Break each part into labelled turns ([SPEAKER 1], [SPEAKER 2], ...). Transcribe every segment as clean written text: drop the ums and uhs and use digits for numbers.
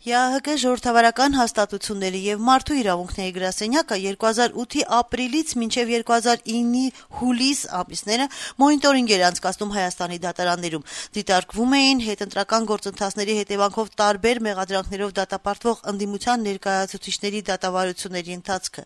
[SPEAKER 1] ԵԱՀԿ ժողովրդավարական հաստատությունների եւ մարդու իրավունքների գրասենյակը 2008-ի ապրիլից մինչեւ 2009-ի հուլիս ամիսները մոնիտորինգ էր անցկացնում Հայաստանի դատարաններում։ Դիտարկվում էին հետընտրական գործընթացների հետևանքով տարբեր մեղադրանքներով դատապարտվող ընդդիմության ներկայացուցիչների դատավարությունների ընթացքը։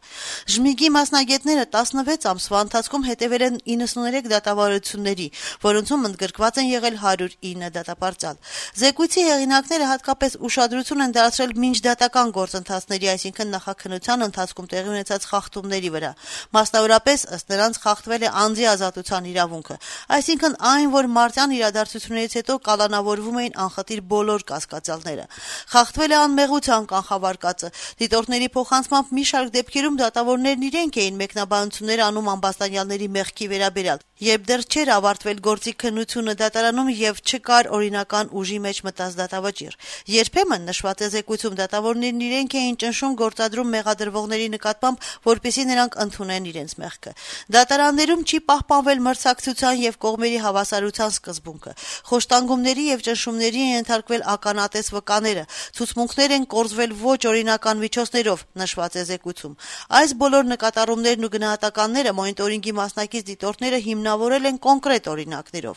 [SPEAKER 1] ԺՄԻԳ-ի մասնագետները 16 ամսվա ընթացքում հետևել են 93 դատավարությունների, որոնցում ընդգրկված են եղել 109 դատապարտյալ։ Զեկույցի հեղինակները հատկապես ուշադրություն են դարձրել միջդատական գործընթացների, այսինքն նախաքննության ընթացքում տեղի ունեցած խախտումների վրա։ Մասնավորապես ըստ նրանց խախտվել է անձի ազատության իրավունքը, այսինքն այն, որ մարտյան իրադարձություններից հետո կալանավորվում էին անխտիր բոլոր կասկածյալները։ Խախտվել է անմեղության կանխավարկածը։ Դիտորդների փոխանցմամբ մի շարք դեպքերում դատավորներն իրենք էին մեկնաբանություններ անում ամբաստանյալների մեղքի վերաբերյալ, երբ դեռ չէր ավարտվել գործի քննությունը դատարանում եւ չկար օրինական ուժի մեջ մտած դատավճիռ։ Երբեմն նշված է զեկույցում դատավորներն իրենք էին ճնշում գործադրում մեղադրվողների նկատմամբ, որպեսզի նրանք ընդունեն իրենց մեղքը։ Դատարաններում չի պահպանվել մրցակցության եւ կողմերի հավասարության սկզբունքը։ Խոշտանգումների եւ ճնշումների են ենթարկվել ականատես վկաները, ցուցմունքներ են կորզվել ոչ օրինական միջոցներով, նշված է զեկույցում։ Այս բոլոր նկատառումներն ու գնահատականները մոնիտորինգի մասնակից դիտորդները հիմնավորել են կոնկրետ օրինակներով։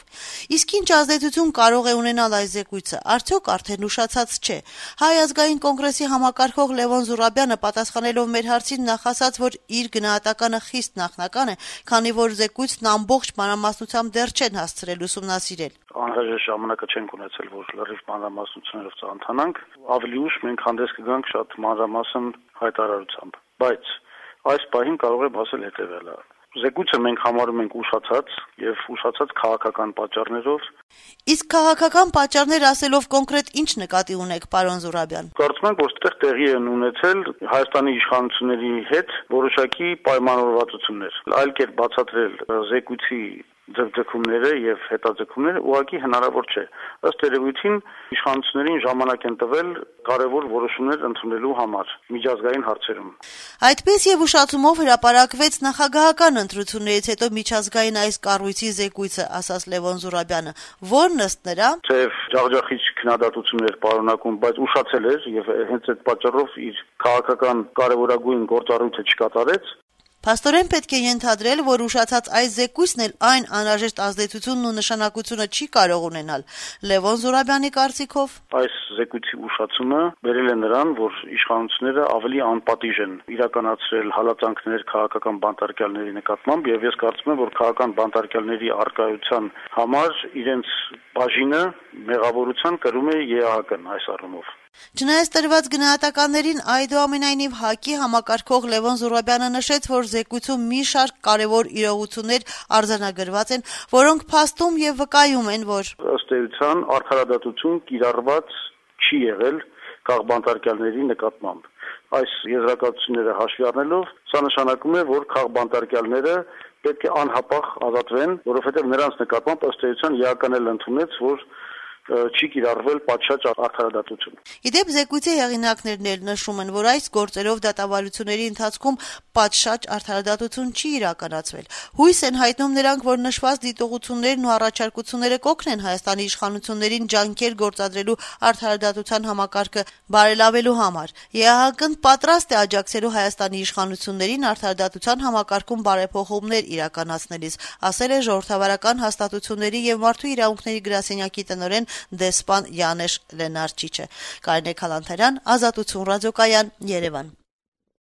[SPEAKER 1] Իսկ ինչ ազդեցություն կարող է ունենալ այս զեկույցը, արդյոք արդեն ուշացած չէ։ Հայ ազգային կոնգրեսի համակարգող Լևոն Զուրաբյանը պատասխանելով մեր հարցին նախ ասաց, որ իր գնահատականը խիստ նախնական է, քանի որ զեկույցն ամբողջ մանրամասնությամբ դեռ չեն հասցրել ուսումնասիրել։
[SPEAKER 2] Անհրաժեշտ ժամանակը չենք ունեցել, որ լրիվ մանրամասնություններով ծանոթանանք, ավելի ուշ մենք հանդես կգանք շատ մանրամասն հայտարարությամբ, բայց այս պահին կարող եմ ասել հետևյալը. Զեկույցը մենք համարում ենք ուշացած եւ ուշացած քաղաքական պատճառներով։
[SPEAKER 1] Իսկ քաղաքական պատճառներ ասելով կոնկրետ ինչ նկատի ունեք, պարոն Զուրաբյան։
[SPEAKER 2] Կարծում եմ, որ այդտեղ տեղի են ունեցել Հայաստանի իշխանությունների հետ որոշակի պայմանավորվածություններ։ Այլ կերպ բացատրել զեկույցի ձգձգումները եւ հետաձգումները ուղղակի հնարավոր չէ։ Ըստ երևույթին իշխանություններին ժամանակ են տվել կարևոր որոշումներ ընդունելու համար միջազգային հարցերում։
[SPEAKER 1] Այդպես եւ ուշացումով հրապարակվեց նախագահական ընտրություններից հետո միջազգային այս կառույցի զեկույցը, ասաց Լևոն Զուրաբյանը, որն ըստ նրա
[SPEAKER 2] թեև ջախջախիչ քննադատություններ պարունակում, բայց ուշացել էր եւ հենց այդ պատճառով իր քաղաքական կարևորագույն գործառույթը չկատարեց։
[SPEAKER 1] Փաստորեն պետք է ենթադրել, որ ուշացած այս զեկույցն էլ այն անհրաժեշտ ազդեցությունն ու նշանակությունը չի կարող ունենալ։ Լևոն Զուրաբյանի կարծիքով
[SPEAKER 2] այս զեկույցի ուշացումը բերել է նրան, որ իշխանությունները ավելի անպատիժ են իրականացրել հալածանքներ քաղաքական բանտարկյալների նկատմամբ եւ ես կարծում եմ, որ քաղաքական բանտարկյալների առկայության համար իրենց բաժինը մեղավորության կրում է ԵԱՀԿ-ն այս առումով։
[SPEAKER 1] Չնայած տրված գնահատականներին, այդուամենայնիվ ՀԱԿ-ի համակարգող Լևոն Զուրաբյանը նշեց, որ զեկույցում մի շարք կարևոր իրողություններ արձանագրված են, որոնք փաստում եւ վկայում են, որ
[SPEAKER 2] ըստ էության արդարադատություն կիրառված չի եղել քաղբանտարկյալների նկատմամբ։ Այս եզրակացությունները հաշվի առնելով, սա նշանակում է, որ քաղբանտարկյալները պետք է անհապաղ ազատվեն, որովհետեւ նրանց նկատմամբ ըստ էության ԵԱՀԿ-ն էլ ընդունեց, որ չի կիրառվել պատշաճ արդարադատություն։
[SPEAKER 1] Իդեպ զեկույցի հեղինակներն էլ նշում են, որ այս գործերով դատավարությունների ընթացքում պատշաճ արդարադատություն չի իրականացվել։ Հույս են հայտնում նրանք, որ նշված դիտողություններն ու առաջարկությունները կօգնեն Հայաստանի իշխանություններին ջանքեր գործադրելու արդարադատության համակարգը բարելավելու համար։ ԵԱՀԿ-ն պատրաստ է աջակցելու Հայաստանի իշխանություններին արդարադատության համակարգում բարեփոխումներ իրականացնելիս, ասել է ժողովրդավարական հաստատությունների եւ մարդու իրավունքների գրասենյակի տնօրեն դեսպան Յանեշ Լենարչիչը։ Կարինե Քալանթարյան, Ազատություն ռադիոկայան, Երևան։